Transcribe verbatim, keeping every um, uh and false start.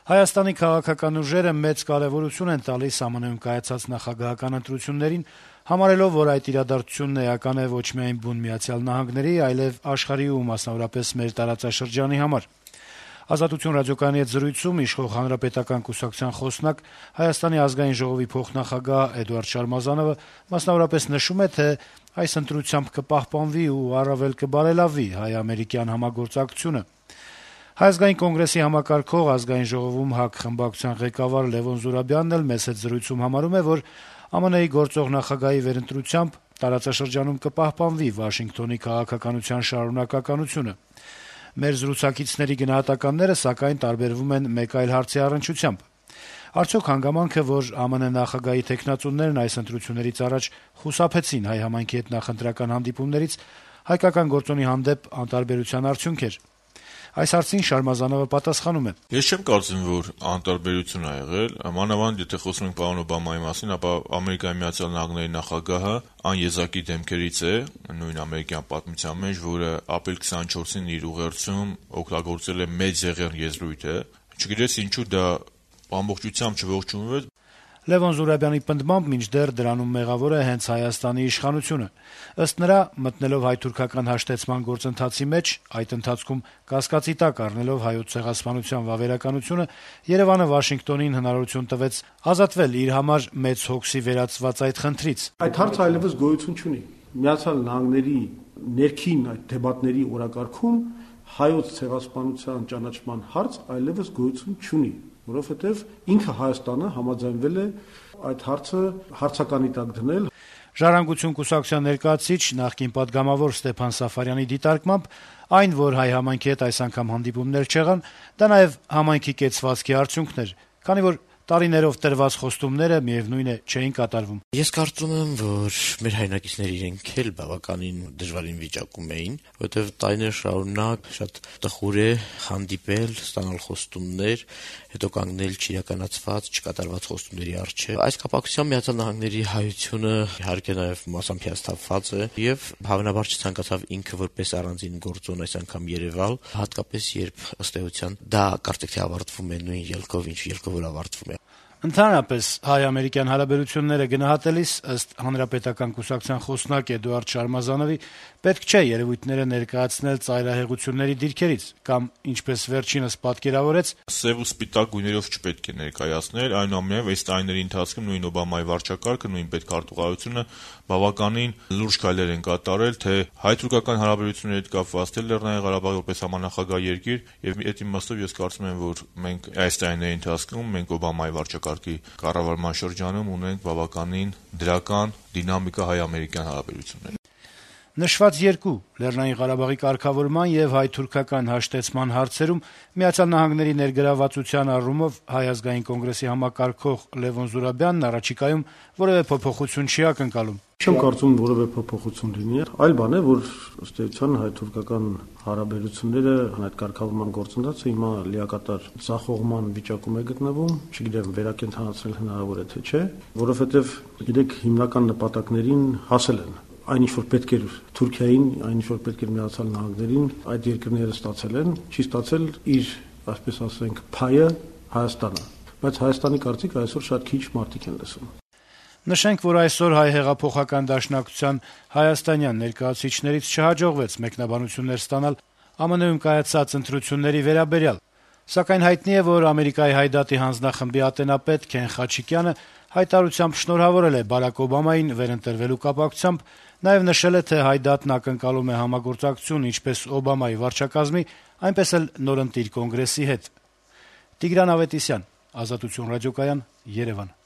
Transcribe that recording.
Հայաստանի քաղաքական ուժերը մեծ կարեւորություն են տալիս ԱՄՆ -ում կայացած նախագահական ընտրություններին, համարելով, որ այդ իրադարձությունն էական է ոչ միայն բուն Միացյալ Նահանգների, այլեւ աշխարհի ու մասնավորապես մեր տարածաշրջանի համար։ «Ազատություն» ռադիոկայանի հետ զրույցում իշխող Հանրապետական կուսակցության խոսնակ, Հայաստանի ազգային ժողովի փոխնախագահ Էդուարդ Շարմազանովը մասնավորապես նշում է, թե այս ընտրությամբ կպահպանվի ու առավել կբարելավի հայ-ամերիկյան համագործակցությունը։ Հայ ազգային կոնգրեսի համակարգող Ազգային ժողովում ՀԱԿ խմբակցության ղեկավար Լեւոն Զուրաբյանն էլ մեծ հետ զրույցում համարում է, որ ԱՄՆ-ի գործող նախագահի վերընտրությամբ տարածաշրջանում կպահպանվի Վաշինգտոնի քաղաքականության շարունակականությունը։ Մեր զրուցակիցների գնահատականները, սակայն, տարբերվում են մեկ այլ հարցի առնչությամբ. արդյոք հանգամանք է, որ ԱՄՆ նախագահի թեկնածուներն այս ընտրություններից առաջ խուսափեցին հայ համայնքի հետ նախընտրական հանդիպումներից, հայկական գործոնի հանդեպ անտարբերության արդյունք էր։ Այս հարցին Շարմազանովը պատասխանում է. Ես չեմ կարծում, որ անտարբերություն ա եղել, մանավանդ եթե խոսում ենք պարոն Օբամայի մասին, ապա Ամերիկայի Միացյալ Նահանգների նախագահը անեզակի դեմքերից է նույն ամերիկյան պատմության մեջ, որը ապրիլ քսանչորսին իր ուղերձում օգտագործել է մեծ եղեռ եզրույթը, չգիտես ինչու դա ամբողջությամբ չողջունվեց։ Լեւոն Զուրաբյանի պնդմամբ մինչդեռ դրանում մեղավոր է հենց Հայաստանի իշխանությունը։ Ըստ նրա, մտնելով հայ-թուրքական հաշտեցման գործընթացի մեջ, այդ ընթացքում կասկածի տակ առնելով հայոց ցեղասպանության վավերականությունը, Երեւանը Վաշինգտոնին հնարավորություն տվեց ազատվել իր համար մեծ հոգսի վերածված այդ խնդրից։ Այդ հարցը այլևս գոյություն չունի։ Միացյալ Նահանգների ներքին այդ դեպատների օրակարգում հայոց ցեղասպանության ճանաչման հարց այլևս գոյություն չունի, որովհետև ինքը Հայաստանը համաձայնվել է այդ հարցը հարցականի տակ դնել։ «Ժառանգություն» կուսակցության ներկայացուցիչ, նախկին պատգամավոր Ստեփան Սաֆարյանի դիտարկմամբ, այն, որ հայ համայնքի հետ այս անգամ հանդիպումներ չեղան, դա նաեւ համայնքի կեցվածքի արդյունքն էր, քանի որ տարիներով տրված խոստումները միեւնույն է չէին կատարվում։ Ես կարծում եմ, որ մեր հայրենակիցները իրենք էլ բավականին դժվարին վիճակում էին, որովհետև տարիներ շարունակ շատ տխուր է հանդիպել, ստանալ խոստումներ, հետո կանգնել չիրականացված, չկատարված խոստումների առջև։ Այս կապակցությամբ Միացյալ Նահանգների հայությունը իհարկե նաև մասամբ հիասթափված է եւ հավանաբար չցանկացավ ինքը որպես առանձին գործոն այս անգամ երևալ, հատկապես երբ ըստ էության դա կարծեք թե ավարտվում է նույն ելքով, ինչ ելքով որ ավարտվում է։ Ընդհանրապես հայ-ամերիկյան հարաբերությունները գնահատելիս, ըստ Հանրապետական կուսակցության խոսնակ Էդուարդ Շարմազանովի, պետք չէ երևույթները ներկայացնել ծայրահեղությունների դիրքերից կամ, ինչպես վերջինս պատկերավորեց, սև ու սպիտակ գույներով չպետք է ներկայացնել, այնուամենայնիվ այս տարիների ընթացքում նույն Օբամայի վարչակարգը, նույն պետքարտուղարությունը բավականին լուրջ քայլեր են կատարել, թե հայ-թուրքական հարաբերությունների հետ կապված, թե Լեռնային Ղարաբաղի որպես համանախագահ երկիր, եւ այդ իմաստով ես կարծում եմ, որ մենք այս տարիների ընթացքում մենք Օբամայի վարչակարգի կառավարման շրջանում ունենք բավականին դրական դինամիկա հայ-ամերիկյան հարաբերությունների։ Նշված երկու Լեռնային Ղարաբաղի կարգավորման եւ հայ-թուրքական հաշտեցման հարցերում Միացյալ Նահանգների ներգրավվածության առումով Հայ ազգային կոնգրեսի համակարգող Լեւոն Զուրաբյանն առաջիկայում որևէ փոփոխություն չի ակնկալում։ Չեմ կարծում որևէ փոփոխություն լինի, այլ բան է, որ ըստ էության հայ-թուրքական հարաբերությունները այդ կարգավորման գործընթացը հիմա լիակատար ցախողման վիճակում է գտնվում, չգիտեմ վերակենդանացնել հնարավոր է թե չէ, որովհետև գիտեք հիմնական նպատակներին հասել են։ Այն ինչ որ պետք էր Թուրքիային, այն ինչ որ պետք էր Միացյալ Նահանգներին, այդ երկրները ստացել են, չի ստացել իր, այսպես ասենք, փայը Հայաստանը, բայց Հայաստանի կարծիք այսօր շատ քիչ մարդիկ են լսում։ Նշենք, որ այսօր հայ հեղափոխական դաշնակցության հայաստանյան ներկայացուցիչներից չհաջողվեց մեկնաբանություններ ստանալ ԱՄՆ-ում կայացած ընտրությունների վերաբերյալ, սակայն հայտնի է, որ Ամերիկայի Հայդատի հանձնախմբի ատենապետ Քեն Խաչիկյանը հայտարարությամբ շնորհավորել է Բարակ Օբամային վերընտրվելու կապակցությամբ, նաև նշել է, թե Հայդատն ակնկալում է համագործակցություն ինչպես Օբամայի վարչակազմի, այնպես էլ նորընտիր կոնգրեսի հետ։ Տիգրան Ավետիսյան, Ազատություն ռադիոկայան, Երևան։